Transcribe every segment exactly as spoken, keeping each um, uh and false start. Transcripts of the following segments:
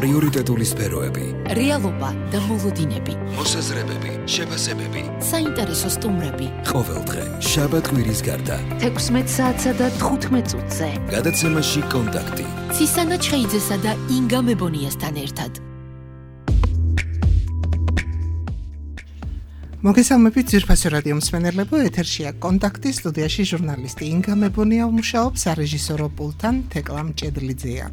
პრიორიტეტული სფეროები, რეალობა და მოლოდინები, მოსაზრებები, შეფასებები, საინტერესო სტუმრები. ყოველდღე შაბათ-კვირის გარდა თექვსმეტ საათსა და თხუთმეტ წუთზე გადაცემაში კონტაქტი ცისანა ჩხეიძესა და ინგა მებონიასთან ერთად. მოგესალმებით ძვირფასო რადიო მსმენელებო, ეთერშია კონტაქტი, სტუდიაში ჟურნალისტი ინგა მებონია მუშაობს, სარეჟისორო პულტთან თეკლა მჭედლიძეა.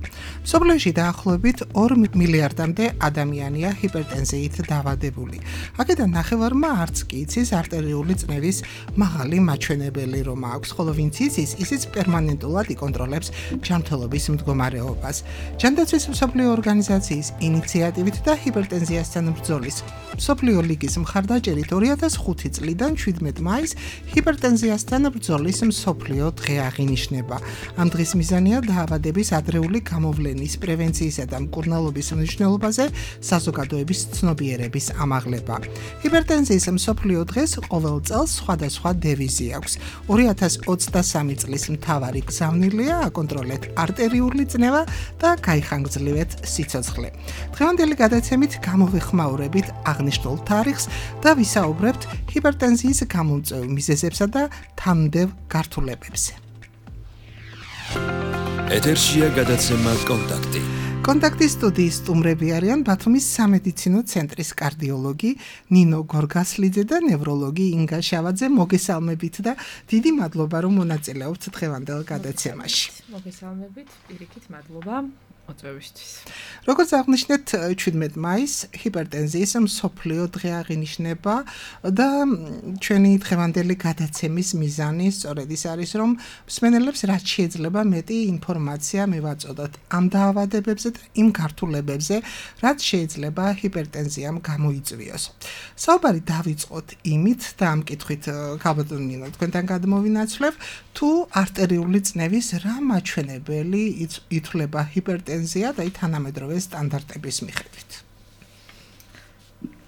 მსოფლიოში დაახლოებით ორ მილიარდამდე ადამიანია ჰიპერტენზიით დაავადებული. აქედან ნახევარმა არც კი იცის არტერიული წნევის მაღალი მაჩვენებელი რომ აქვს, ხოლო ვინც იცის, ისიც პერმანენტულად იკონტროლებს ჯანმრთელობის მდგომარეობას. ჯანდაცვის მსოფლიო ორგანიზაციის ინიციატივით და ჰიპერტენზიასთან ბრძოლის მსოფლიო ლიგის მხარდაჭერით ორი ათას ხუთი წლიდან შვიდმეტ მაისს ჰიპერტენზიასთან ბრძოლის მსოფლიო დღე აღინიშნება. ამ დღის მიზანია დაავადების ადრეული გამოვლენის, პრევენციისა და მკურნალობის მნიშვნელობაზე საზოგადოების ცნობიერების ამაღლება. ჰიპერტენზიის მსოფლიო დღეს ყოველ წელს სხვადასხვა დევიზი აქვს. ორი ათას ოცდასამი წლის მთავარი გზავნილია აკონტროლეთ არტერიული წნევა და გაიხანგძლივეთ სიცოცხლე. დღევანდელი გადაცემით გამოვიხმაურებით აღნიშნულ თარიღს და ვისაუბრებთ ჰიპერტენზიის გამომწვევ მიზეზებსა და თანმდევ გართულებებზე. ეთერშია გადაცემა კონტაქტი. კონტაქტის სტუდიის სტუმრები არიან ბათუმის სამედიცინო ცენტრის კარდიოლოგი ნინო გორგასლიძე და ნევროლოგი ინგა შავაძე. მოგესალმებით და დიდი მადლობა რომ მონაწილეობთ დღევანდელ გადაცემაში. მოგესალმებით, პირიქით მადლობა მოწვევისთვის. როგორც აღნიშნეთ, შვიდმეტ მაისს ჰიპერტენზიის მსოფლიო დღე აღინიშნება და ჩვენი დღევანდელი გადაცემის მიზანი სწორედ ის არის, რომ მსმენელებს რაც შეიძლება მეტი ინფორმაცია მივაწოდოთ ამ დაავადებებზე და იმ გართულებებზე, რაც შეიძლება ჰიპერტენზიამ გამოიწვიოს. საუბარი დავიწყოთ იმით და ამ კითხვით გაბატონინო თქვენთან გადმოვინაცვლებ, თუ არტერიული წნევის რა მაჩვენებელი ითვლება ჰიპერტენზია და თანამედროვე სტანდარტების მიხედვით.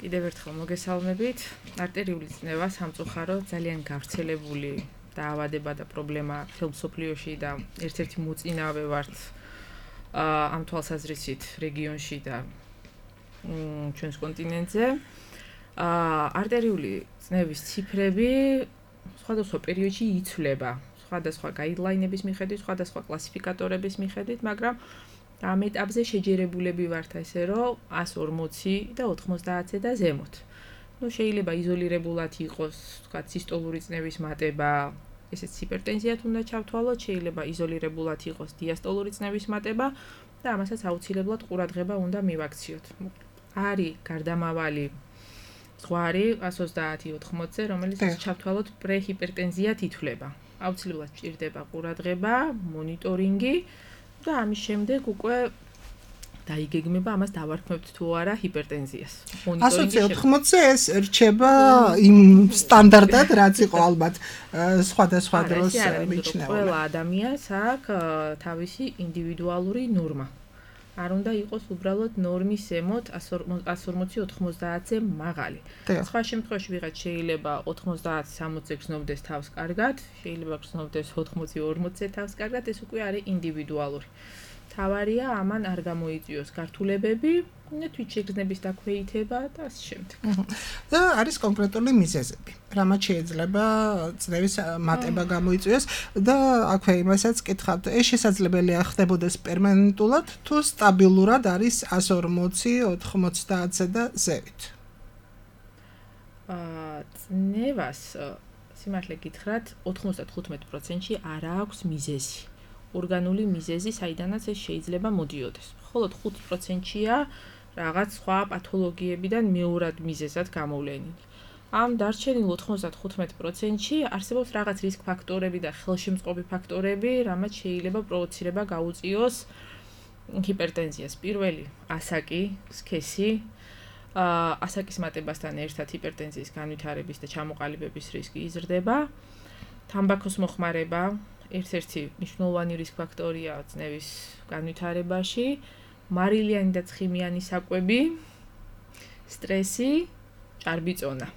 კიდევ ერთხელ მოგესალმებით. არტერიული წნევა სამწუხაროდ ძალიან გავრცელებული დაავადება და პრობლემა მთელ მსოფლიოში და ერთ-ერთი მოწინავე ვართ ამ თვალსაზრისით რეგიონში და ჩვენს კონტინენტზე. არტერიული წნევის ციფრები სხვადასხვა პერიოდში იცვლება, სხვადასხვა გაიდლაინების მიხედვით, სხვადასხვა კლასიფიკატორების მიხედვით, მაგრამ ამ ეტაპზე შეჯერებულები ვართ ესე რომ ას ორმოცი და ოთხმოცდაათზე და ზემოთ. ნუ შეიძლება იზოლირებულად იყოს, თქვა სისტოლური წნევის მატება, ესეც ჰიპერტენზიათ უნდა ჩავთვალოთ, შეიძლება იზოლირებულად იყოს დიასტოლური წნევის მატება და ამასაც აუცილებლად ყურადღება უნდა მივაქციოთ. არის გარდამავალი ზღვარი ას ოცდაათი ოთხმოცზე, რომელიც ჩავთვალოთ პრეჰიპერტენზიათ ითვლება. აუცილებლად სჭირდება ყურადღება, მონიტორინგი და ამის შემდეგ უკვე დაიგეგმება ამას დავარქმევთ თუ არა ჰიპერტენზიას. ას ოთხმოცზე ეს რჩება იმ სტანდარტად, რაც იყო ალბათ სხვადასხვა დროს მიჩნეული. ყველა ადამიანს აქვს თავისი ინდივიდუალური ნორმა. არ უნდა იყოს უბრალოდ ნორმის ზემოთ ას ორმოცი ოთხმოცდაათზე მაღალი. სხვა შემთხვევაში ვიღაც შეიძლება ოთხმოცდაათი სამოცზე გრძნობდეს თავს კარგად, შეიძლება გრძნობდეს ოთხმოცი ორმოცზე თავს კარგად, ეს უკვე არის ინდივიდუალური. თავარია ამან არ გამოიწვიოს გართულებები, თვითშეგრძნების დაქვეითება და ასე შემდეგ. და არის კონკრეტული მიზეზები, რამაც შეიძლება წნევის მატება გამოიწვიოს და აქვე იმასაც კითხავთ, ეს შესაძლებელია ხდებოდეს პერმანენტულად თუ სტაბილურად არის ას ორმოცი ოთხმოცდაათზე და ზევით. წნევას სიმართლე გითხრათ, ოთხმოცდათხუთმეტ პროცენტში არ აქვს მიზეზი. ორგანული მიზეზი, საიდანაც ეს შეიძლება მოდიოდეს. მხოლოდ ხუთი პროცენტია რაღაც სხვა პათოლოგიებიდან მეორად მიზეზად გამოვლენილი. ამ დარჩენილ ოთხმოცდათხუთმეტ პროცენტში არსებობს რაღაც რისკ ფაქტორები და ხელშემწყობი ფაქტორები, რამაც შეიძლება პროვოცირება გაუწიოს ჰიპერტენზიას. პირველი, ასაკი, სქესი, ასაკის მატებასთან ერთად ჰიპერტენზიის განვითარების და ჩამოყალიბების რისკი იზრდება. თამბაქოს მოხმარება ერთ-ერთი მნიშვნელოვანი რისკ ფაქტორია წნევის განვითარებაში, მარილიანი და ცხიმიანი საკვები, სტრესი, ჭარბიწონა.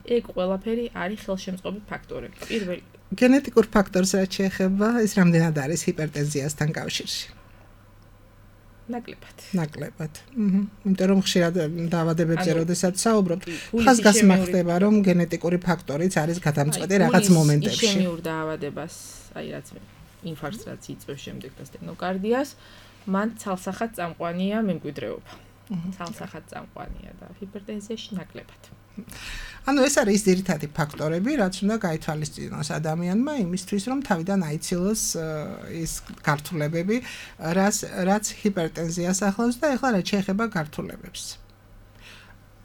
ეგ ყველაფერი არის ხელშემწყობი ფაქტორები. პირველი გენეტიკურ ფაქტორს რაც შეეხება, ეს რამდენად არის ჰიპერტენზიასთან კავშირში? ნაკლებად. ნაკლებად. აჰა. იმიტომ რომ ხშირად დაავადებებზე როდესაც საუბრობთ, ხაზგასმა ხდება რომ გენეტიკური ფაქტორიც არის გადამწყვეტი რაღაც მომენტებში. ისემიურ დაავადებას, აი რაც ინფარქტს რაც იწვევს შემდეგ და სტენოკარდიას, მან ცალსახად წამყვანია მემკვიდრეობა. ცალსახად წამყვანია და ჰიპერტენზიაში ნაკლებად. ანუ ეს არის ძირითადი ფაქტორები, რაც უნდა გაითვალისწინოს ადამიანმა იმისთვის, რომ თავიდან აიცილოს ის გართულებები, რაც რაც ჰიპერტენზიას ახლავს და ეხლა რაც შეეხება გართულებებს.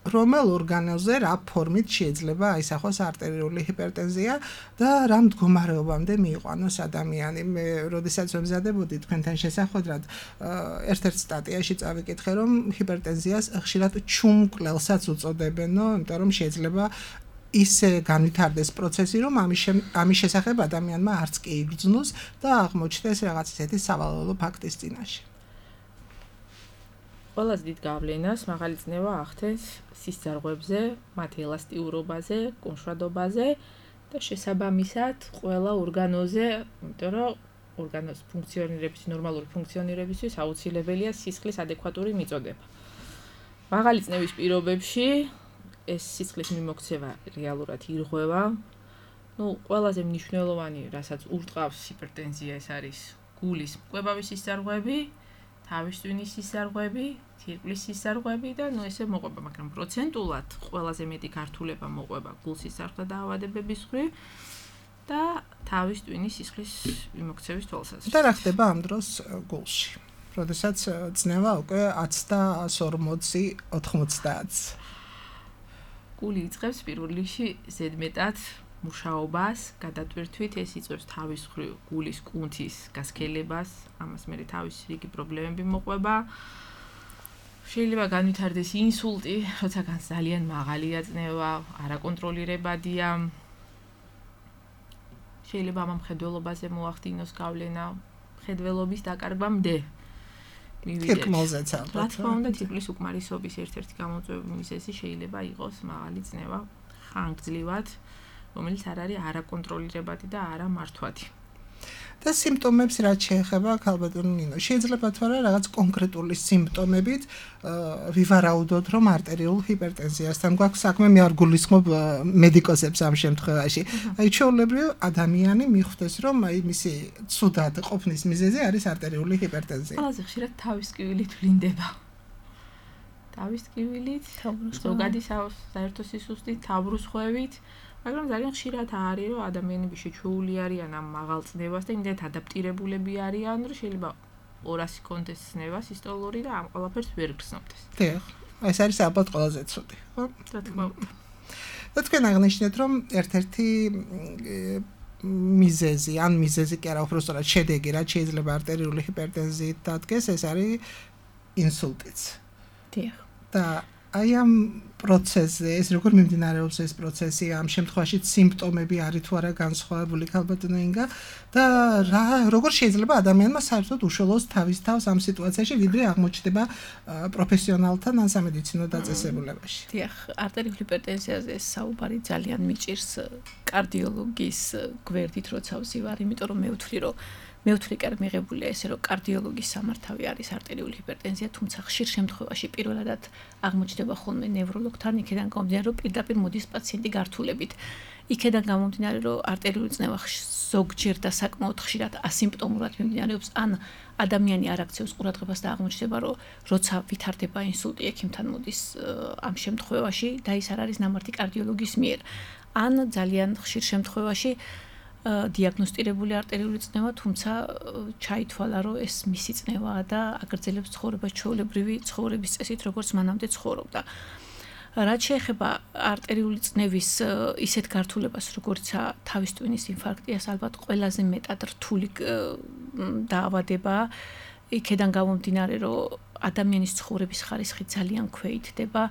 რომელ ორგანოზე რა ფორმით შეიძლება აისახოს არტერიული ჰიპერტენზია და რა მდგომარეობამდე მიიყვანოს ადამიანი. მე როდესაც ვემზადებოდი თქვენთან შესახვედრად, ერთ-ერთ სტატიაში წავიკითხე, რომ ჰიპერტენზიას ხშირად ჩუმკვლელსაც უწოდებენო, იმიტომ რომ შეიძლება ისე განვითარდეს პროცესი, რომ ამის ამის შესახებ ადამიანმა არც კი იგრძნოს და აღმოჩნდეს რაღაც ისეთი სავალალო ფაქტის წინაშე. ყველაზე დიდ გავლენას მაღალი წნევა ახდენს სისწარღვებზე, მათი ელასტიურობაზე, კონშრადობაზე და შესაბამისად ყველა ორგანოზე, იმიტომ რომ ორგანოს ფუნქციონირების, ნორმალური ფუნქციონირებისთვის აუცილებელია სისხლის ადეკვატური მიწოდება. მაღალი წნევის პირობებში ეს სისხლის მიმოქცევა რეალურად ირღვევა. ნუ ყველაზე მნიშვნელოვანი, რასაც ურტყავს ჰიპერტენზია, ეს არის გულის მკვებავის სისწარღვები, თავის ტვინის სისწარღვები, თირკმლის სისწარღვები და ნუ ესე მოყვება, მაგრამ პროცენტულად ყველაზე მეტი გართულება მოყვება გულსისხლთა დაავადებების მხრივ და თავის ტვინის სისხლის მიმოქცევის თვალსაზრისით. და რა ხდება ამ დროს გულში? როდესაც წნევა უკვე ათს და ორმოცი ოთხმოცდაათს. გული იწყებს პირველ რიგში ზედმეტად მუშაობას, გადატვირთვით ეს იწვევს თავის მხრივ გულის კუნთის გასქელებას, ამას მერე თავის რიგი პრობლემები მოყვება. შეიძლება განვითარდეს ინსულტი, როცა განს ძალიან მაღალია წნევა, არაკონტროლირებადია. შეიძლება ამ მხედველობაზე მოახდინოს გავლენა, მხედველობის დაკარგვამდე. თირკმელზეც ალბათ. რა თქმა უნდა, თირკმლის უკმარისობის ერთ-ერთი გამოწვევი მიზეზი შეიძლება იყოს მაღალი წნევა ხანგრძლივად, რომელიც არ არის არაკონტროლირებადი და არამართვადი. და სიმპტომებს რაც შეეხება, ქალბატონო ნინო, შეიძლება თუ არა რაღაც კონკრეტული სიმპტომებით ვივარაუდოთ, რომ არტერიულ ჰიპერტენზიასთან გვაქვს საქმე, მე არ გულისხმობ მედიკოსებს ამ შემთხვევაში. აი ჩვეულებრივ ადამიანი მიხვდეს, რომ აი მისი ცუდად ყოფნის მიზეზი არის არტერიული ჰიპერტენზია. ყველაზე ხშირად თავის ტკივილით ვლინდება. თავის ტკივილით, ზოგადი საერთო სისუსტით, თავბრუსხვევით. მაგრამ ძალიან ხშირად არის, რომ ადამიანები შეჩვეული არიან ამ მაღალ წნევას და იმდენად ადაპტირებულები არიან, რომ შეიძლება ორასი კონდეს წნევა სისტოლური და ამ ყველაფერს ვერ გრძნობდეს. დიახ, ეს არის ალბათ ყველაზე ცუდი, ხო? რა თქმა უნდა. და თქვენ აღნიშნეთ, რომ ერთ-ერთი მიზეზი, ან მიზეზი კი არა, უფრო სწორად შედეგი, რაც შეიძლება არტერიული ჰიპერტენზიით დადგეს, ეს არის ინსულტიც. დიახ. და აი ამ პროცესზე, ეს როგორ მიმდინარეობს ეს პროცესი, ამ შემთხვევაში სიმპტომები არის თუ არა განსხვავებული, ქალბატონო ინგა და რა როგორ შეიძლება ადამიანმა საერთოდ უშუალოდ თავის თავს ამ სიტუაციაში ვიდრე აღმოჩნდება პროფესიონალთან ან სამედიცინო დაწესებულებაში. დიახ, არტერიული ჰიპერტენზიაზე საუბარი ძალიან მიჭირს კარდიოლოგის გვერდით, როცა ვზივარ, იმიტომ რომ მე ვთვლი, რომ მე ვთვლი კარ მიღებულია ესე, რომ კარდიოლოგის სამართავი არის არტერიული ჰიპერტენზია, თუმცა ხშირ შემთხვევაში პირველადად აღმოჩნდება ხოლმე ნევროლოგთან, იქიდან გამომდინარე, რომ პირდაპირ მოდის პაციენტი გართულებით. იქიდან გამომდინარე, რომ არტერიული წნევა ზოგჯერ და საკმაოდ ხშირად ასიმპტომურად მიმდინარეობს, ან ადამიანი არ აქცევს ყურადღებას და აღმოჩნდება, რომ როცა ვითარდება ინსულტი, ექიმთან მოდის ამ შემთხვევაში და ის არ არის ნამართი კარდიოლოგის მიერ. ან ძალიან ხშირ შემთხვევაში დიაგნოსტირებული არტერიული წნევა, თუმცა ჩაითვალა, რომ ეს მისი წნევაა და აგრძელებს ცხოვრებას ჩვეულებრივი ცხოვრების წესით, როგორც მანამდე ცხოვრობდა. რაც შეეხება არტერიული წნევის ისეთ გართულებას, როგორიცაა თავის ტვინის ინფარქტი, ეს ალბათ ყველაზე მეტად რთული დაავადებაა. იქიდან გამომდინარე, რომ ადამიანის ცხოვრების ხარისხი ძალიან ქვეითდება,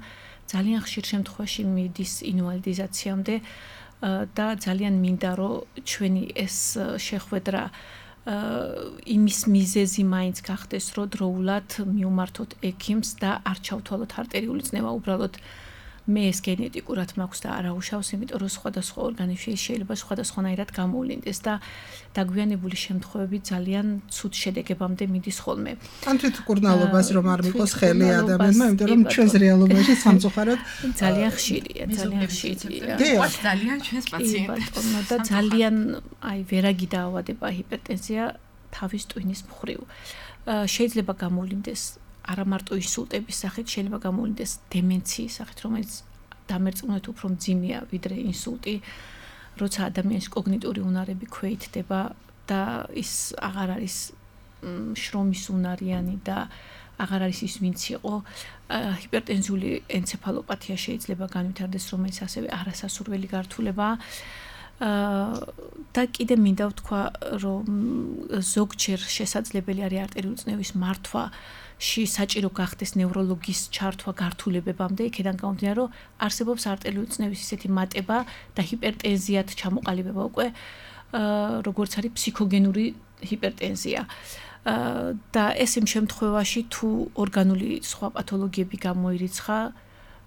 ძალიან ხშირ შემთხვევაში მიდის ინვალიდიზაციამდე და ძალიან მინდა, რომ ჩვენი ეს შეხვედრა იმის მიზეზი მაინც გახდეს, რომ დროულად მიუმართოთ ექიმს და არ ჩავთვალოთ არტერიული წნევა, უბრალოდ მე ეს გენეტიკურად მაქვს და არა უშავს, იმიტომ რომ სხვადასხვა ორგანიზმში შეიძლება სხვადასხვანაირად გამოვლინდეს და დაგვიანებული შემთხვევები ძალიან ცუდ შედეგებამდე მიდის ხოლმე. ან თვითმკურნალობას რომ არ მიყოს ხელი ადამიანმა, იმიტომ რომ ჩვენს რეალობაში სამწუხაროდ ძალიან ხშირია, ძალიან ხშირია. ძალიან ჩვენს პაციენტებს და ძალიან აი ვერაგი დაავადება ჰიპერტენზია თავის ტვინის მხრივ. შეიძლება გამოვლინდეს არა მარტო ინსულტების სახით, შეიძლება გამოვლინდეს დემენციის სახით, რომელიც დამერწმუნებით უფრო მძიმეა ვიდრე ინსულტი, როცა ადამიანის კოგნიტური უნარები ქვეითდება და ის აღარ არის შრომის უნარიანი და აღარ არის ის ვინც იყო. ჰიპერტენზიული ენცეფალოპათია შეიძლება განვითარდეს, რომელიც ასევე არასასურველი გართულებაა. და კიდე მინდა ვთქვა, რომ ზოგჯერ შესაძლებელი არის არტერიული წნევის მართვაში საჭირო გახდეს ნევროლოგის ჩართვა გართულებებამდე, იქიდან გამომდინარე, რომ არსებობს არტერიული წნევის ისეთი მატება და ჰიპერტენზიად ჩამოყალიბება უკვე, როგორც არის ფსიქოგენური ჰიპერტენზია. და ეს იმ შემთხვევაში თუ ორგანული სხვა პათოლოგიები გამოირიცხა,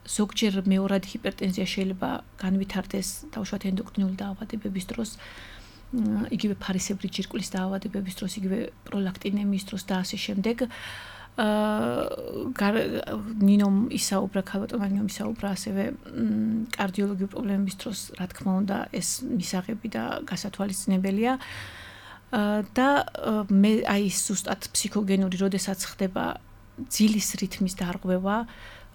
ზოგჯერ მეორადი ჰიპერტენზია შეიძლება განვითარდეს დაუშვათ ენდოკრინული დაავადებების დროს, იგივე ფარისებრი ჯირკვლის დაავადებების დროს, იგივე პროლაქტინემიის დროს და ასე შემდეგ. ნინომ ისაუბრა, ქალბატონმა ნინომ ისაუბრა ასევე კარდიოლოგიური პრობლემების დროს, რა თქმა უნდა, ეს მისაღები და გასათვალისწინებელია. და მე აი ზუსტად ფსიქოგენური, როდესაც ხდება ძილის რითმის დარღვევა,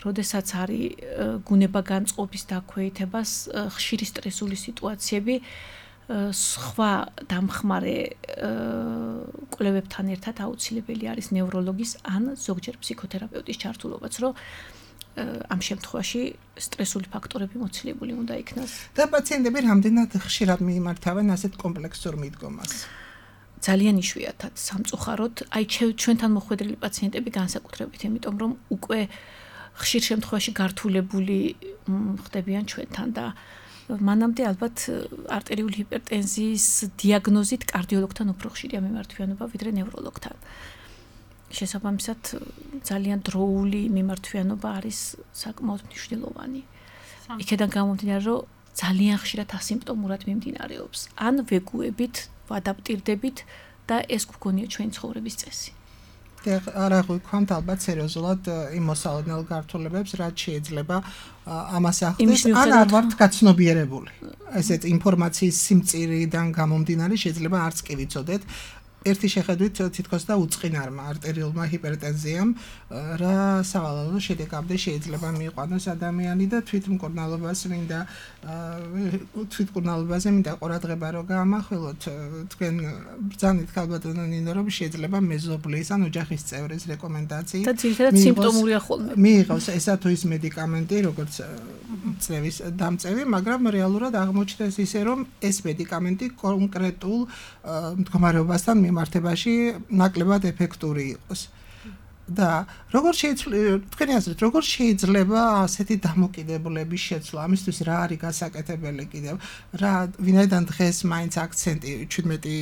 როდესაც არის გუნება განწყობის დაქვეითებას, ხშირი სტრესული სიტუაციები, სხვა დამხმარე კვლევებთან ერთად აუცილებელი არის ნევროლოგის ან ზოგჯერ ფსიქოთერაპევტის ჩართულობაც, რომ ამ შემთხვევაში სტრესული ფაქტორები მოცილებული უნდა იქნას. და პაციენტები რამდენად ხშირად მიიმართავენ ასეთ კომპლექსურ მიდგომას? ძალიან იშვიათად, სამწუხაროდ, აი ჩვენთან მოხვედრილი პაციენტები განსაკუთრებით, იმიტომ რომ უკვე ხშირ შემთხვევაში გართულებული ხდებიან ჩვენთან და მანამდე ალბათ არტერიული ჰიპერტენზიის დიაგნოზით კარდიოლოგთან უფრო ხშირია მიმართვიანობა ვიდრე ნევროლოგთან. შესაბამისად, ძალიან დროული მიმართვიანობა არის საკმაოდ მნიშვნელოვანი. იქედან გამომდინარე, რომ ძალიან ხშირად ასიმპტომურად მიმდინარეობს. ან ვეგუებით, ვადაპტირდებით და ეს გვგონია ჩვენი ცხოვრების წესი. არა გვიქვამთ ალბათ სერიოზულად იმ მოსალოდნელ გართულებებს, რაც შეიძლება ამას ახდენს, ან არ ვართ გაცნობიერებული. ესეთ ინფორმაციის სიმწირიდან გამომდინარე შეიძლება არც კი ვიცოდეთ. ერთი შეხედვით თითქოს და უწყინარმა არტერიულმა ჰიპერტენზიამ რა სავალალო შედეგამდე შეიძლება მიიყვანოს ადამიანი და თვითმკურნალობას მინდა თვითმკურნალობაზე მინდა ყურადღება რო გაამახვილოთ. თქვენ ბრძანით ქალბატონო ნინო, რომ შეიძლება მეზობლის ან ოჯახის წევრის რეკომენდაციით და ძირითადად სიმპტომურია ხოლმე. მიიღოს ესა თუ ის მედიკამენტი, როგორც წნევის დამწევი, მაგრამ რეალურად აღმოჩნდეს ისე, რომ ეს მედიკამენტი კონკრეტულ მდგომარეობასთან მიმართებაში ნაკლებად ეფექტური იყოს. და როგორ შეიძლება თქვენი აზრით, როგორ შეიძლება ასეთი დამოკიდებულების შეცვლა? ამისთვის რა არის გასაკეთებელი კიდევ? რა ვინაიდან დღეს მაინც აქცენტი შვიდმეტი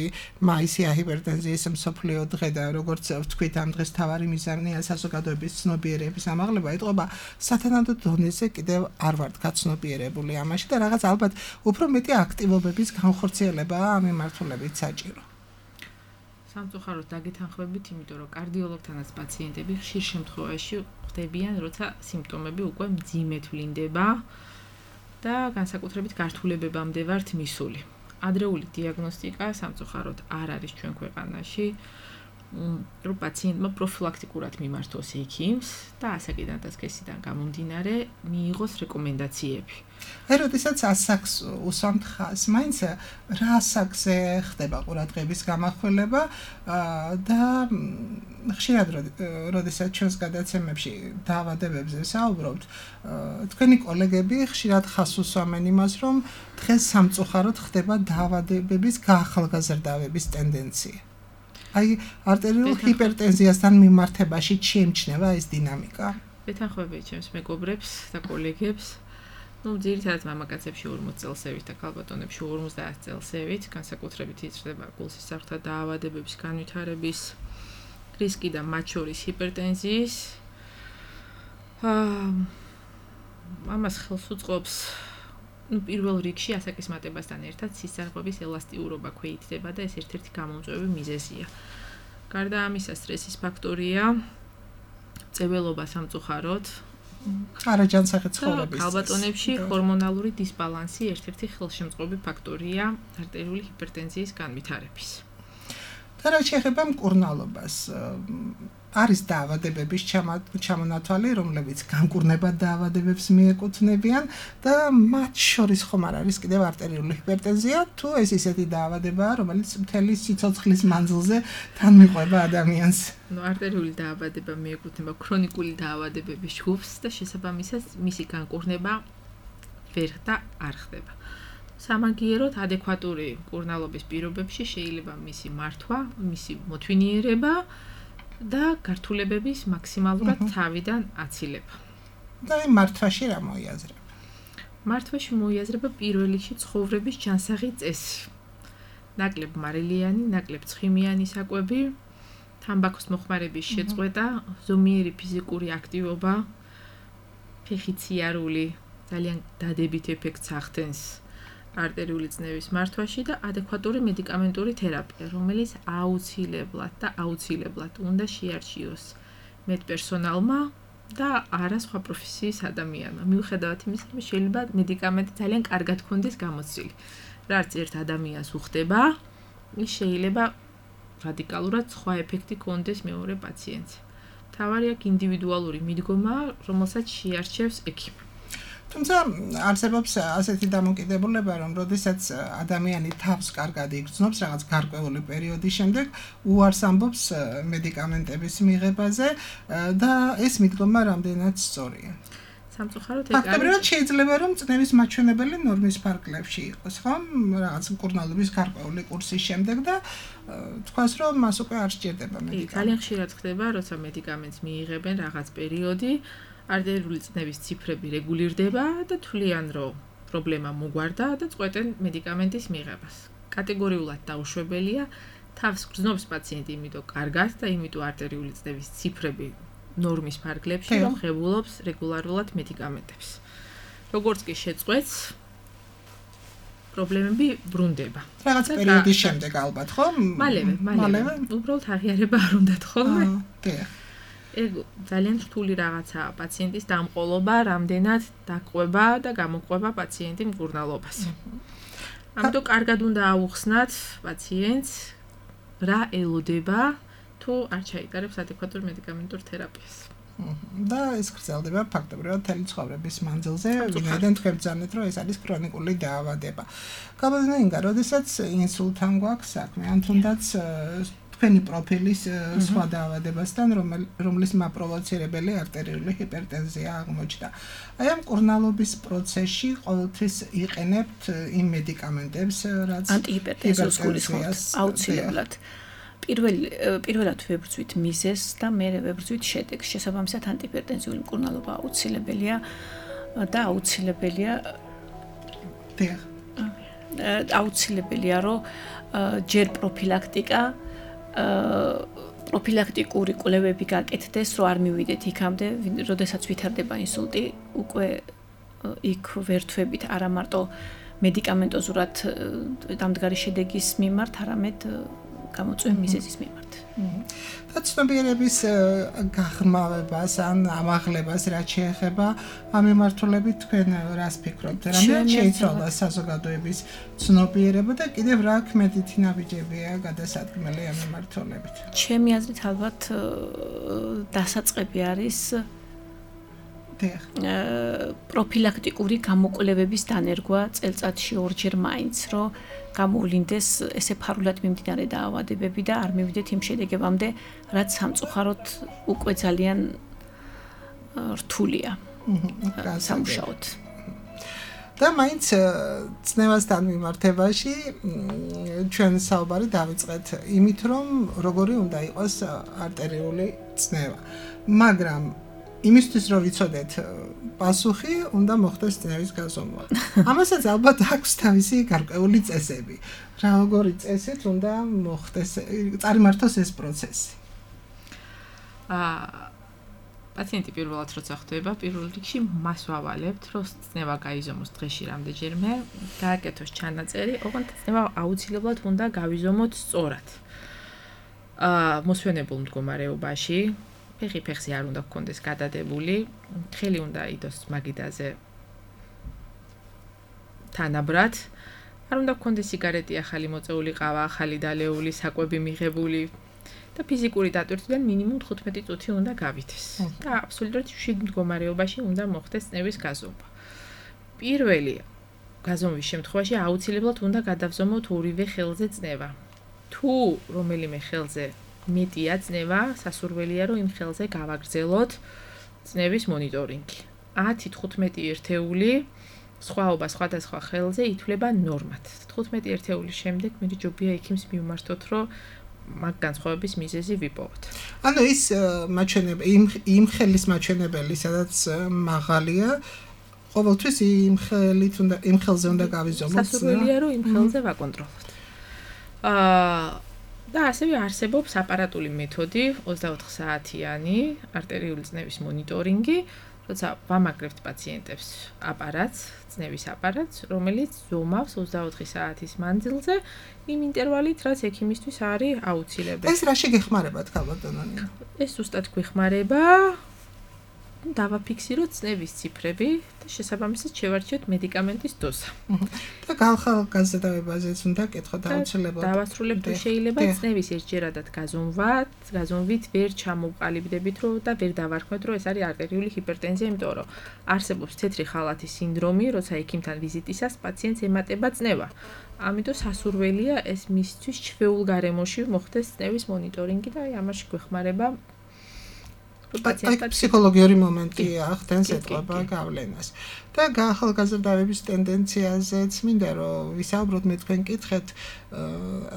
მაისია ჰიპერტენზიის მსოფლიო დღე და როგორც ვთქვით, ამ დღეს თავარი მიზანია საზოგადოების ცნობიერების ამაღლება, ეტყობა სათანადო დონეზე კიდევ არ ვართ გაცნობიერებული ამაში და რაღაც ალბათ უფრო მეტი აქტივობების განხორციელება ამ მიმართულებით საჭირო. სამწუხაროდ დაგეთანხმებით, იმიტომ რომ კარდიოლოგთანაც პაციენტები ხშირ შემთხვევაში ხდებიან, როცა სიმპტომები უკვე მძიმედ ვლინდება და განსაკუთრებით გართულებებამდე ვართ მისული. ადრეული დიაგნოსტიკა სამწუხაროდ არ არის ჩვენ ქვეყანაში, რომ პაციენტმა პროფილაქტიკურად მიმართოს ექიმს და ასაკიდან და სქესიდან გამომდინარე მიიღოს რეკომენდაციები. აი, როდესაც ასაკს უსვამთ ხაზს, მაინც რა ასაკზე ხდება ყურადღების გამახვილება და ხშირად როდესაც ჩვენს გადაცემებში დაავადებებზე საუბრობთ, თქვენი კოლეგები ხშირად ხაზს უსვამენ იმას, რომ დღეს სამწუხაროდ ხდება დაავადებების გაახალგაზრდავების ტენდენცია. აი, არტერიულ ჰიპერტენზიასთან მიმართებაში შეიმჩნევა ეს დინამიკა? ვეთანხმებით ჩემს მეგობრებს და კოლეგებს. ну, ძირითადად მამაკაცებში ორმოც წელსევით და ქალბატონებში ორმოცდაათ წელსევით, განსაკუთრებით იზრდება გულსისხლთა დაავადებების განვითარების რისკი და მათ შორის ჰიპერტენზიის. აა ამას ხელს უწყობს ну პირველ რიგში ასაკის მატებასთან ერთად სისხლძარღვების ელასტიურობა ქვეითდება და ეს ერთ-ერთი გამომწვევი მიზეზია. გარდა ამისა სტრესის ფაქტორია წეველობა სამწუხაროდ არაჯანსაღი ცხოვრების ქალბატონებში ჰორმონალური დისბალანსი ერთ-ერთი ხელშემწყობი ფაქტორია არტერიული ჰიპერტენზიის განვითარების. და რა შეეხება მკურნალობას, არის დაავადებების ჩამონათვალი, რომლებიც განკურნებად დაავადებებს მიეკუთვნებიან და მათ შორის ხომ არ არის კიდევ არტერიული ჰიპერტენზია, თუ ეს ისეთი დაავადებაა, რომელიც მთელი სიცოცხლის მანძილზე თან მიყვება ადამიანს. ნუ არტერიული დაავადება მიეკუთვნება ქრონიკული დაავადებების ჯგუფს და შესაბამისად მისი განკურნება ვერ და არ ხდება. სამაგიეროდ ადეკვატური მკურნალობის პირობებში შეიძლება მისი მართვა, მისი მოთვინიერება და გართულებების მაქსიმალურად თავიდან აცილება. და იმ მართვაში რა მოიაზრება? მართვაში მოიაზრება პირველ რიგში ცხოვრების ჯანსაღი წესი. ნაკლებ მარილიანი, ნაკლებ ცხიმიანი საკვები, თამბაქოს მოხმარების შეწყვეტა, ზომიერი ფიზიკური აქტივობა, ფეხით სიარული ძალიან დადებით ეფექტს ახდენს არტერიული წნევის მართვაში და ადეკვატური მედიკამენტური თერაპია, რომელიც აუცილებლად და აუცილებლად უნდა შეარჩიოს მედპერსონალმა და არა სხვა პროფესიის ადამიანმა. მიუხედავად იმისა, რომ შეიძლება მედიკამენტი ძალიან კარგად ქონდეს გამოცდილი. რაც ერთ ადამიანს უხდება, ის შეიძლება რადიკალურად სხვა ეფექტი ქონდეს მეორე პაციენტზე. მთავარი აქ ინდივიდუალური მიდგომა, რომელსაც შეარჩევს ექიმი. თუმცა არსებობს ასეთი დამოკიდებულება, რომ როდესაც ადამიანი თავს კარგად იგრძნობს რაღაც გარკვეული პერიოდის შემდეგ, უარს ამბობს მედიკამენტების მიღებაზე და ეს მიდგომა რამდენად სწორია. სამწუხაროდ ეგ არის. ფაქტობრივად შეიძლება რომ წნევის მაჩვენებელი ნორმის ფარგლებში იყოს, ხომ? რაღაც მკურნალობის გარკვეული კურსის შემდეგ და თქვას რომ მას უკვე არ სჭირდება მედიკამენტი. ძალიან ხშირად ხდება, როცა მედიკამენტს მიიღებენ რაღაც პერიოდი, არტერიული წნევის ციფრები რეგულირდება და თვლიან, რომ პრობლემა მოგვარდა და წყვეტენ მედიკამენტის მიღებას. კატეგორიულად დაუშვებელია, თავს გრძნობს პაციენტი იმიტომ კარგად და იმიტომ არტერიული წნევის ციფრები ნორმის ფარგლებში, რომ ღებულობს რეგულარულად მედიკამენტებს. როგორც კი შეწყვეტს, პრობლემები ბრუნდება. რაღაც პერიოდის შემდეგ ალბათ, ხო? მალევე, მალევე. უბრალოდ აღიარება არ უნდათ ხოლმე. დიახ. ეგ ძალიან რთული რაღაცაა პაციენტის დამყოლობა, რამდენად დაყვება და გამოყვება პაციენტი მკურნალობას. ამიტომ კარგად უნდა აუხსნათ პაციენტს რა ელოდება თუ არ ჩაიტარებს ადეკვატურ მედიკამენტურ თერაპიას. და ეს გრძელდება ფაქტობრივად მთელი ცხოვრების მანძილზე, ვინაიდან თქვენ ბრძანეთ, რომ ეს არის ქრონიკული დაავადება. გამოდინა ინგა, როდესაც ინსულტთან გვაქვს საქმე, ან თუნდაც თქვენი პროფილის სხვა დაავადებასთან, რომლის მაპროვოცირებელი არტერიული ჰიპერტენზია აღმოჩნდა. აი ამ მკურნალობის პროცესში ყოველთვის იყენებთ იმ მედიკამენტებს, რაც ანტიჰიპერტენსიას გულისხმობთ აუცილებლად. პირველ პირველად ვებრძვით მიზეზს და მერე ვებრძვით შედეგს. შესაბამისად ანტიჰიპერტენზიული მკურნალობა აუცილებელია და აუცილებელია დიახ. აუცილებელია, რომ ჯერ პროფილაქტიკა პროფილაქტიკური კვლევები გაკეთდეს, რომ არ მივიდეთ იქამდე, როდესაც ვითარდება ინსულტი, უკვე იქ ვერთვებით არა მარტო მედიკამენტოზურად დამდგარი შედეგის მიმართ, არამედ გამოწვევი მიზეზის მიმართ. და ცნობიერების გაღრმავებას ან ამაღლებას რაც შეეხება ამ მიმართულებით თქვენ რას ფიქრობთ? რამდენად შეიცვალა საზოგადოების ცნობიერება და კიდევ რა ქმედითი ნაბიჯებია გადასადგმელი ამ მიმართულებით? ჩემი აზრით ალბათ დასაწყები არის პროფილაქტიკური გამოკვლევების დანერგვა წელწადში ორჯერ მაინც, რომ გამოვლინდეს ესე ფარულად მიმდინარე დაავადებები და არ მივიდეთ იმ შედეგებამდე, რაც სამწუხაროდ უკვე ძალიან რთულია სამუშაოდ. და მაინც წნევასთან მიმართებაში ჩვენ საუბარი დავიწყეთ იმით, რომ როგორი უნდა იყოს არტერიული წნევა. მაგრამ იმისთვის რომ ვიცოდეთ პასუხი, უნდა მოხდეს წნევის გაზომვა. ამასაც ალბათ აქვს თავისი გარკვეული წესები. როგორი წესით უნდა მოხდეს, წარიმართოს ეს პროცესი? აა პაციენტი პირველად როცა ხვდება, პირველ რიგში მას ვავალებთ, რომ ცნება გაიზომოს დღეში რამდენჯერმე, გააკეთოს ჩანაწერი, ოღონდ ცნება აუცილებლად უნდა გავიზომოთ სწორად. აა მოსვენებულ მდგომარეობაში, ფეხი ფეხზე არ უნდა გქონდეს გადადებული, ხელი უნდა იდოს მაგიდაზე თანაბრად, არ უნდა გქონდეს სიგარეტი, ახალი მოწეული ყავა, ახალი დალეული, საკვები მიღებული და ფიზიკური დატვირთვიდან მინიმუმ თხუთმეტი წუთი უნდა გავითეს. და აბსოლუტურად მშვიდ მდგომარეობაში უნდა მოხდეს წნევის გაზომვა. პირველი გაზომვის შემთხვევაში აუცილებლად უნდა გადავზომოთ ორივე ხელზე წნევა. თუ რომელიმე ხელზე მეტია წნევა, სასურველია რომ იმ ხელზე გავაგრძელოთ წნევის მონიტორინგი. ათი თხუთმეტი ერთეული სხვაობა სხვადასხვა ხელზე ითვლება ნორმად. თხუთმეტი ერთეულის შემდეგ მე ჯობია ექიმს მივმართოთ, რომ მაგ განსხვავების მიზეზი ვიპოვოთ. ანუ ის მაჩვენებელი იმ იმ ხელის მაჩვენებელი, სადაც მაღალია, ყოველთვის იმ ხელით უნდა იმ ხელზე უნდა გავიზომოთ. სასურველია რომ იმ ხელზე ვაკონტროლოთ. აა და ასევე არსებობს აპარატული მეთოდი, ოცდაოთხ საათიანი არტერიული წნევის მონიტორინგი, როცა ვამაგრებთ პაციენტებს აპარატს, წნევის აპარატს, რომელიც ზომავს ოცდაოთხი საათის მანძილზე, იმ ინტერვალით, რაც ექიმისთვის არის აუცილებელი. ეს რაში გეხმარებათ, ქალბატონო? ეს ზუსტად გვეხმარება დავაფიქსიროთ წნევის ციფრები და შესაბამისად შევარჩიოთ მედიკამენტის დოზა. და გახალგაზრდავებაზეც უნდა კითხოთ აუცილებლად. დავასრულებთ თუ შეიძლება წნევის ერთჯერადად გაზომვა, გაზომვით ვერ ჩამოვყალიბდებით რომ და ვერ დავარქმევთ რომ ეს არის არტერიული ჰიპერტენზია, იმიტომ რომ არსებობს თეთრი ხალათის სინდრომი, როცა ექიმთან ვიზიტისას პაციენტს ემატება წნევა. ამიტომ სასურველია ეს მისთვის ჩვეულ გარემოში მოხდეს წნევის მონიტორინგი და აი ამაში გვეხმარება ფსიქოლოგიური მომენტი ახდენს ეთყობა გავლენას. და ახალგაზრდების ტენდენციაზეც მინდა რომ ვისაუბროთ მე თქვენ კითხეთ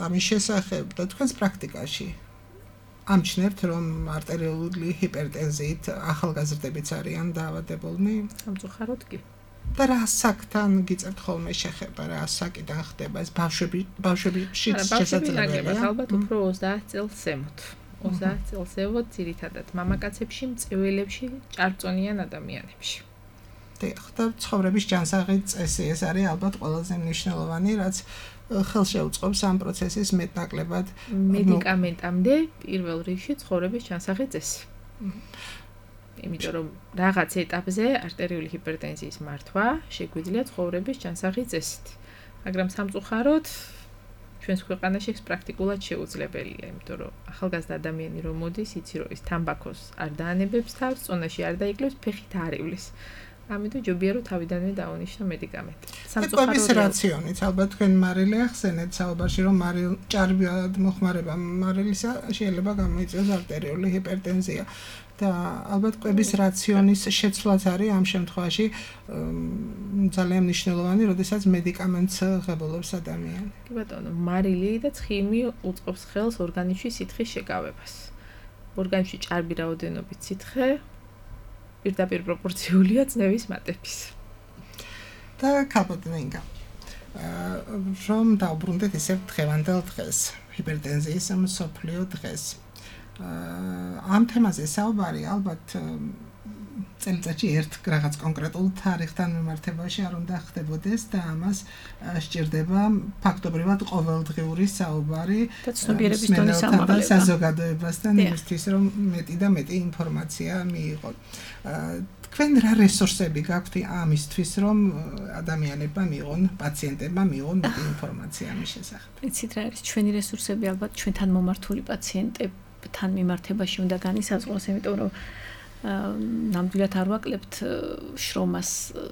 ამის შესახებ და თქვენს პრაქტიკაში ამჩნევთ რომ არტერიული ჰიპერტენზიით ახალგაზრდებიც არიან დაავადებულნი? სამწუხაროდ კი. და რა საკთან გიწევთ ხოლმე შეხება, რა საკიდან ხდება ეს ბავშვები ბავშვებშიც შესაძლებელია? ალბათ უფრო ოცდაათ წელს ზემოთ. ოცდაათ წელს ზემოთ ძირითადად მამაკაცებში, მწველებში, ჭარბწონიან ადამიანებში. დიახ, და ცხოვრების ჯანსაღი წესი ეს არის ალბათ ყველაზე მნიშვნელოვანი, რაც ხელს შეუწყობს ამ პროცესის მეტნაკლებად მედიკამენტამდე პირველ რიგში ცხოვრების ჯანსაღი წესი. იმიტომ რომ რაღაც ეტაპზე არტერიული ჰიპერტენზიის მართვა შეგვიძლია ცხოვრების ჯანსაღი წესით. მაგრამ სამწუხაროდ ჩვენს ქვეყანაში ეს პრაქტიკულად შეუძლებელია, იმიტომ რომ ახალგაზრდა ადამიანი რომ მოდის, იცი რომ ის თამბაქოს არ დაანებებს თავს, წონაში არ დაიკლებს, ფეხით არ ივლის. ამიტომ ჯობია რომ თავიდანვე დაუნიშნო მედიკამენტი. სამწუხაროდ რაციონით, ალბათ თქვენ მარილი ახსენეთ საუბარში, რომ მარილ ჭარბად მოხმარება მარილისა შეიძლება გამოიწვიოს არტერიული ჰიპერტენზია. და ალბათ კვების რაციონის შეცვლაც არის ამ შემთხვევაში ძალიან მნიშვნელოვანი, როდესაც მედიკამენტს ღებულობს ადამიანი. კი ბატონო, მარილი და ცხიმი უწყობს ხელს ორგანიზმში სითხის შეკავებას. ორგანიზმში ჭარბი რაოდენობით სითხე პირდაპირ პროპორციულია წნევის მატების. და ქალბატონო ინგა, რომ დავბრუნდეთ ისევ დღევანდელ დღეს, ჰიპერტენზიის მსოფლიო დღეს. ამ თემაზე საუბარი ალბათ წელიწადში ერთ რაღაც კონკრეტულ თარიღთან მიმართებაში არ უნდა ხდებოდეს და ამას სჭირდება ფაქტობრივად ყოველდღიური საუბარი და ცნობიერების დონის ამაღლება საზოგადოებასთან იმისთვის რომ მეტი და მეტი ინფორმაცია მიიღონ. თქვენ რა რესურსები გაქვთ ამისთვის რომ ადამიანებმა მიიღონ, პაციენტებმა მიიღონ მეტი ინფორმაცია ამის შესახებ? იცით რა არის ჩვენი რესურსები ალბათ ჩვენთან მომართული პაციენტები თან მიმართებაში უნდა განისაზღვროს, იმიტომ რომ ნამდვილად არ ვაკლებთ შრომას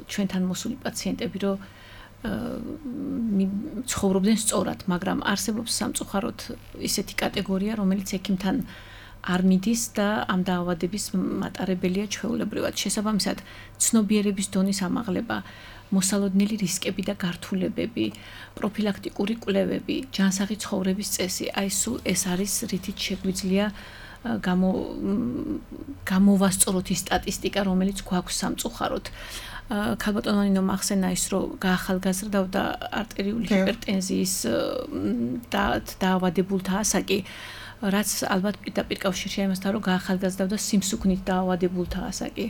ჩვენთან მოსული პაციენტები, რომ ცხოვრობდნენ სწორად, მაგრამ არსებობს სამწუხაროდ ისეთი კატეგორია, რომელიც ექიმთან არ მიდის და ამ დაავადების მატარებელია ჩვეულებრივად. შესაბამისად, ცნობიერების დონის ამაღლება, მოსალოდნელი რისკები და გართულებები, პროფილაქტიკური კვლევები, ჯანსაღი ცხოვრების წესი, აი სულ ეს არის რითიც შეგვიძლია გამო გამოვასწოროთ ის სტატისტიკა, რომელიც გვაქვს სამწუხაროდ. ქალბატონო ნინო ახსენა ის, რომ გაახალგაზრდავდა არტერიული ჰიპერტენზიის და დაავადებულთა ასაკი, რაც ალბათ პირდაპირ კავშირში იმასთან რომ გაახალგაზრდავდა სიმსუქნით დაავადებულთა ასაკი.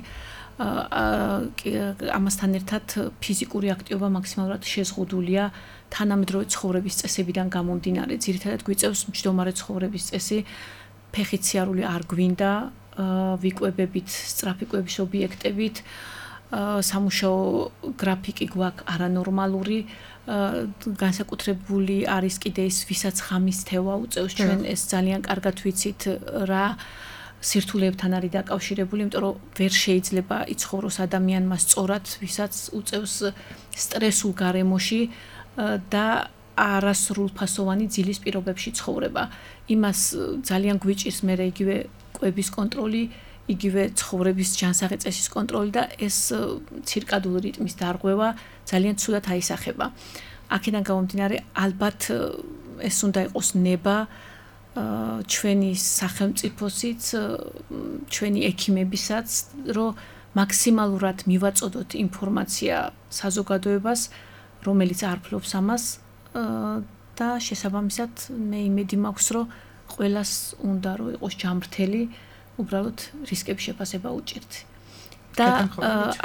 ამასთან ერთად ფიზიკური აქტივობა მაქსიმალურად შეზღუდულია თანამედროვე ცხოვრების წესებიდან გამომდინარე. ძირითადად გვიწევს მჯდომარე ცხოვრების წესი, ფეხით სიარული არ გვინდა, ვიკვებებით სწრაფი კვების ობიექტებით, სამუშაო გრაფიკი გვაქვს არანორმალური, განსაკუთრებული არის კიდე ის, ვისაც ღამის თევა უწევს, ჩვენ ეს ძალიან კარგად ვიცით რა სირთულეებთან არის დაკავშირებული, იმიტომ რომ ვერ შეიძლება იცხოვროს ადამიანმა სწორად, ვისაც უწევს სტრესულ გარემოში და არასრულფასოვანი ძილის პირობებში ცხოვრება. იმას ძალიან გვიჭირს მერე იგივე კვების კონტროლი, იგივე ცხოვრების ჯანსაღი წესის კონტროლი და ეს ცირკადული რიტმის დარღვევა ძალიან ცუდად აისახება. აქედან გამომდინარე, ალბათ ეს უნდა იყოს ნება ჩვენი სახელმწიფოსიც, ჩვენი ექიმებისაც, რომ მაქსიმალურად მივაწოდოთ ინფორმაცია საზოგადოებას, რომელიც არ ფლობს ამას და შესაბამისად მე იმედი მაქვს, რომ ყველას უნდა რომ იყოს ჯამრთელი, უბრალოდ რისკების შეფასება უჭირთ. და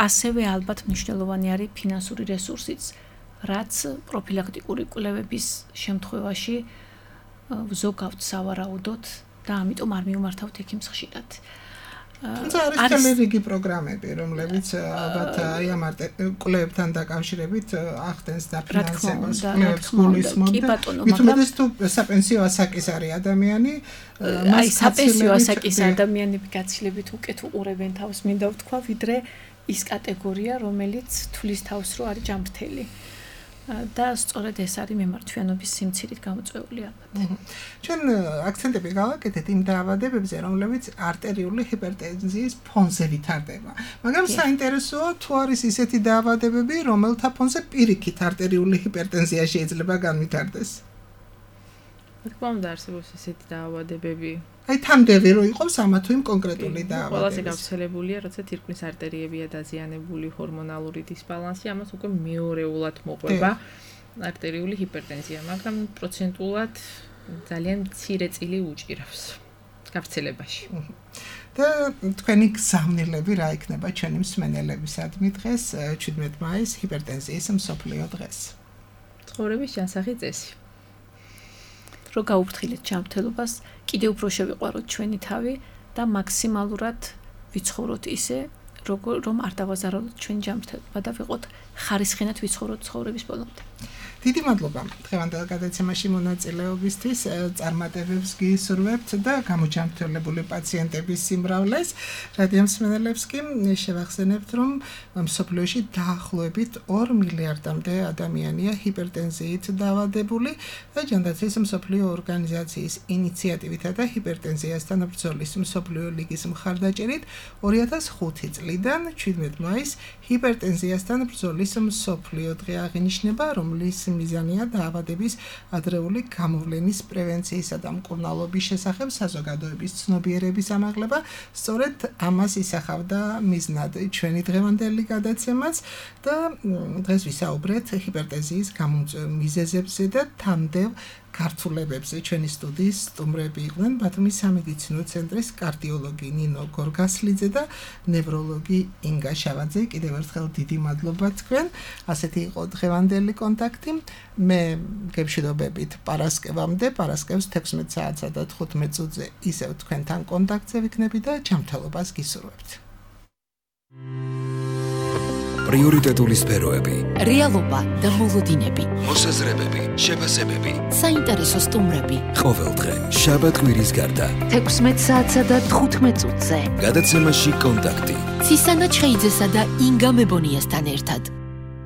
ასევე ალბათ მნიშვნელოვანი არის ფინანსური რესურსიც, რაც პროფილაქტიკური კვლევების შემთხვევაში ვზოგავთ სავარაუდოდ და ამიტომ არ მიმართავთ ექიმს ხშირად. თუმცა არის მთელი რიგი პროგრამები, რომლებიც ალბათ აი ამ კვლევებთან დაკავშირებით ახდენს დაფინანსებას, კვლევებს გულისხმობთ. მithumedes თუ საპენსიო ასაკის არის ადამიანი, აი საპენსიო ასაკის ადამიანები გაცილებით უკეთ უყურებენ თავს, მინდა ვთქვა, ვიდრე ის კატეგორია, რომელიც თulis თავს, რომ არის ჯამრთელი. და სწორედ ეს არის მემართვიანობის სიმცირით გამოწვეული ალბათ. ჩვენ აქცენტები გავაკეთეთ იმ დაავადებებზე, რომლებიც არტერიული ჰიპერტენზიის ფონზე ვითარდება. მაგრამ საინტერესოა თუ არის ისეთი დაავადებები, რომელთა ფონზე პირიქით არტერიული ჰიპერტენზია შეიძლება განვითარდეს. თქმა უნდა არსებობს ესეთი დაავადებები. აი თამდევი რო იყოს ამა თუ იმ კონკრეტული დაავადების. ყველაზე გავრცელებულია, როცა თირკმლის არტერიებია დაზიანებული, ჰორმონალური დისბალანსი, ამას უკვე მეორეულად მოყვება არტერიული ჰიპერტენზია, მაგრამ პროცენტულად ძალიან მცირე წილი უჭირავს გავრცელებაში. და თქვენი გზავნილები რა იქნება ჩვენი მსმენელებისადმი დღეს, შვიდმეტი მაისს, ჰიპერტენზიის მსოფლიო დღეს? ცხოვრების ჯანსაღი წესი. რომ გაუფრთხილეთ ჯანმრთელობას, კიდევ უფრო შევიყვაროთ ჩვენი თავი და მაქსიმალურად ვიცხოვროთ ისე, რომ არ დავაზარალოთ ჩვენი ჯანმრთელობა და ვიყოთ ხარისხენად ვიცხოვროთ ცხოვრების ბოლომდე. დიდი მადლობა დღევანდელ გადაცემაში მონაწილეობისთვის, წარმატებებს გისურვებთ და გამოჯანმრთელებული პაციენტების სიმრავლეს. რადიო მსმენელებს კი შევახსენებთ, რომ მსოფლიოში დაახლოებით ორ მილიარდამდე ადამიანია ჰიპერტენზიით დაავადებული და ჯანდაცვის მსოფლიო ორგანიზაციის ინიციატივითა და ჰიპერტენზიასთან ბრძოლის მსოფლიო ლიგის მხარდაჭერით ორი ათას ხუთი წლიდან შვიდმეტი მაისს ჰიპერტენზიასთან ბრძოლის მსოფლიო დღე აღინიშნება, რომლის მიზანია დაავადების ადრეული გამოვლენის პრევენციისა და მკურნალობის შესახებ საზოგადოების ცნობიერების ამაღლება. სწორედ ამას ისახავდა მიზნად ჩვენი დღევანდელი გადაცემაც და დღეს ვისაუბრეთ ჰიპერტენზიის გამომწვევ მიზეზებზე და თანდევ ქართულებებზე. ჩვენი სტუდიის სტუმრები იყვნენ ბათუმის სამედიცინო ცენტრის კარდიოლოგი ნინო გორგასლიძე და ნევროლოგი ინგა შავაძე. კიდევ ერთხელ დიდი მადლობა თქვენ. ასეთი იყო დღევანდელი კონტაქტი. მე გეშიდობებით პარასკევამდე, პარასკევს თექვსმეტ საათსა და თხუთმეტ წუთზე ისევ თქვენთან კონტაქტზე ვიქნები და ჯანმრთელობას გისურვებთ. პრიორიტეტული სფეროები, რეალობა და მოლოდინები, მოსაზრებები, შეფასებები, საინტერესო სტუმრები. ყოველდღე შაბათ-კვირის გარდა თექვსმეტ საათსა და თხუთმეტ წუთზე გადაცემაში კონტაქტი ცისანა ჩხეიძესა და ინგა მებონიასთან ერთად.